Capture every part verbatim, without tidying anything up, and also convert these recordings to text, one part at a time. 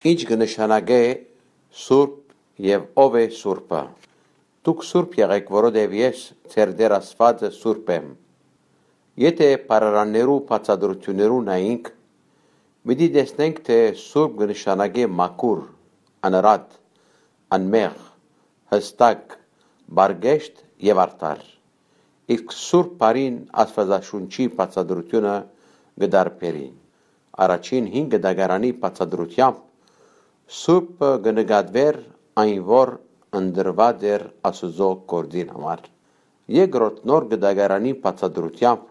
Ի՞նչ կը նշանակէ սուրբ եւ ո՞վ է սուրբը։ Դուք սուրբ եղէք, որովհետեւ ես, ձեր Տէր Աստուածը, սուրբ եմ։ Եթէ բառարաններու բացատրութիւններուն նայինք, պիտի տեսնենք, թէ սուրբ կը նշանակէ մաքուր, անըրատ, անմեղ, յստակ, պարկեշտ եւ արդար։ Իսկ սուրբ բառին Աստուածաշունչի բացատրութիւնը կը տարբերի։ Առաջին հին կտակարանի բացատրութեամբ, սուրբը կը նկատուէր այն, որ ընտրուած էր Աստուծոյ գործին համար։ Երկրորդ նոր կտակարանի բացատրութեամբ,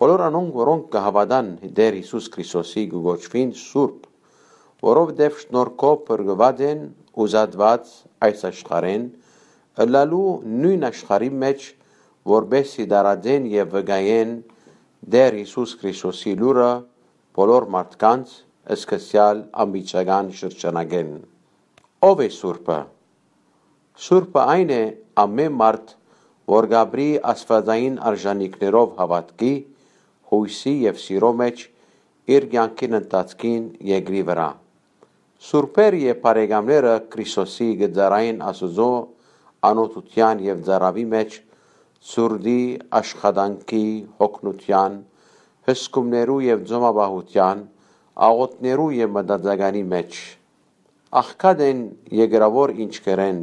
բոլոր անոնք, որոնք կը հաւատան Տէր Յիսուս Քրիստոսի, կը կոչուին սուրբ, որովհետեւ շնորհքով փրկուած են ու զատուած այս աշխարհէն, ըլլալու նոյն աշխարհի մէջ, որպէս զի տարածեն եւ վկայեն Տէր Յիսուս Քրիստոսի լուրը բոլոր մարդկանց, սկսեալ անմիջական շրջանակէն։ Ո՞վ է սուրբը։ Սուրբը այն է, ամէն մարդ, որ կ'ապրի աստուածային արժանիքներով հաւատքի, յոյսի եւ սիրո մէջ, իր կեանքին ընթացքին երկրի վրայ։ Սուրբեր եւ բարեկամները Քրիստոսի կը ծառային Աստուծոյ անօթութեան եւ ծարաւի մէջ, ցուրտի, աշխատանքի, յոգնութեան, հսկումներու եւ ծոմապահութեան, աղօթքներու եւ մտածականի մէջ։ Աղքատ են, երկրաւոր ինչքերէն,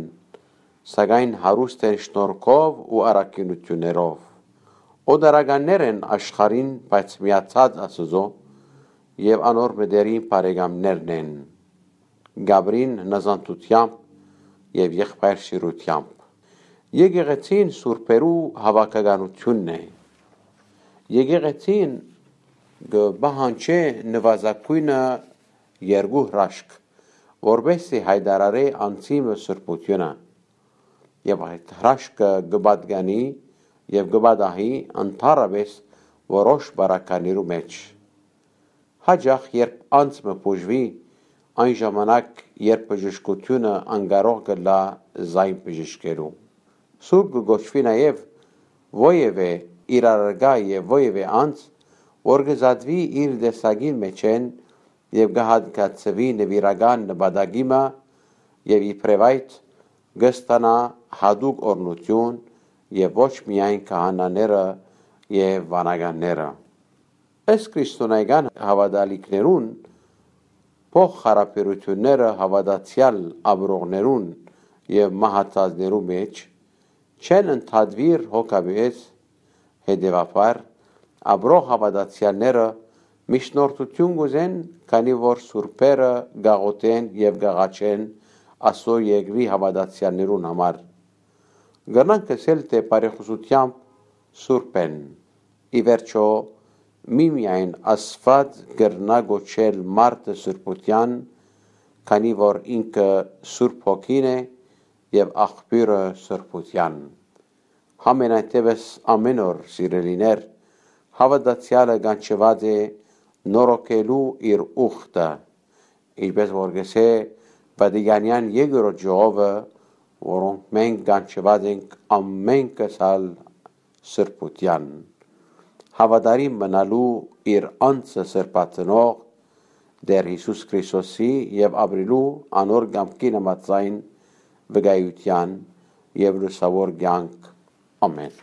սակայն հարուստ են շնորհքով ու առաքինութիւններով։ Օտարականներ են աշխարհին, բայց միացած Աստուծոյ եւ անոր մտերիմ բարեկամներն են։ Կ'ապրին հնազանդութեամբ եւ եղբայրսիրութեամբ։ Եկեղեցին սուրբերու հաւաքականութիւնն է։ Եկեղեցին կը պահանջէ նուազագոյնը երկու հրաշք, որպէս զի յայտարարէ անձի մը սրբութիւնը, եւ այդ հրաշքը կը պատկանի եւ կը պատահի ընդհանրապէս որոշ պարագաներու մէջ։ Յաճախ, երբ անձ մը բուժուի, այն ժամանակ, երբ բժշկութիւնը անկարող կ'ըլլայ զայն բժշկելու։ Սուրբ կը կոչուի նաեւ որեւէ իրարարքայ եւ որեւէ անձ, որ կը զատուի իր տեսակին մէջէն եւ կը հատկացուի նուիրական նպատակի մը եւ իբրեւ այդ կը ստանայ յատուկ օրհնութիւն եւ ոչ միայն քահանաները եւ վանականները։ Ըստ քրիստոնեական հաւատալիքներուն, փոխ-խարաբերութիւնները հաւատացեալ ապրողներուն եւ մահացածներու մէջ չեն ընդհատուիր հոգաբեզ, հետեւաբար, ապրող հաւատացեալները միջնորդութիւն կ'ուզեն, քանի որ սուրբերը կ'աղօթեն եւ կ'աղաչեն Աստուծոյ երկրի հաւատացեալներուն համար։ Կրնանք ըսել, թէ բարեխօսութեամբ սուրբ են։ Ի վերջոյ, միմիայն Աստուած կրնայ կոչել մարդը սրբութեան, քանի որ ինքը Սուրբ Հոգին է եւ աղբիւրը սրբութեան։ Համենայնդէպս, ամէն օր, սիրելիներ, հաւատացեալը կանչուած է նորոգելու իր ուխտը, ինչպէս որ կ'ըսէ Վատիկանեան երկրորդ ժողովը, որոնք մենք կանչուած ենք ամէնքս ալ սրբութեան։ Հաւատարիմ մնալու իր անձը սրբացնող Տէր Յիսուս Քրիստոսի եւ ապրելու անոր կամքին համաձայն վկայութեան եւ լուսաւոր կեանք։ Ամէն։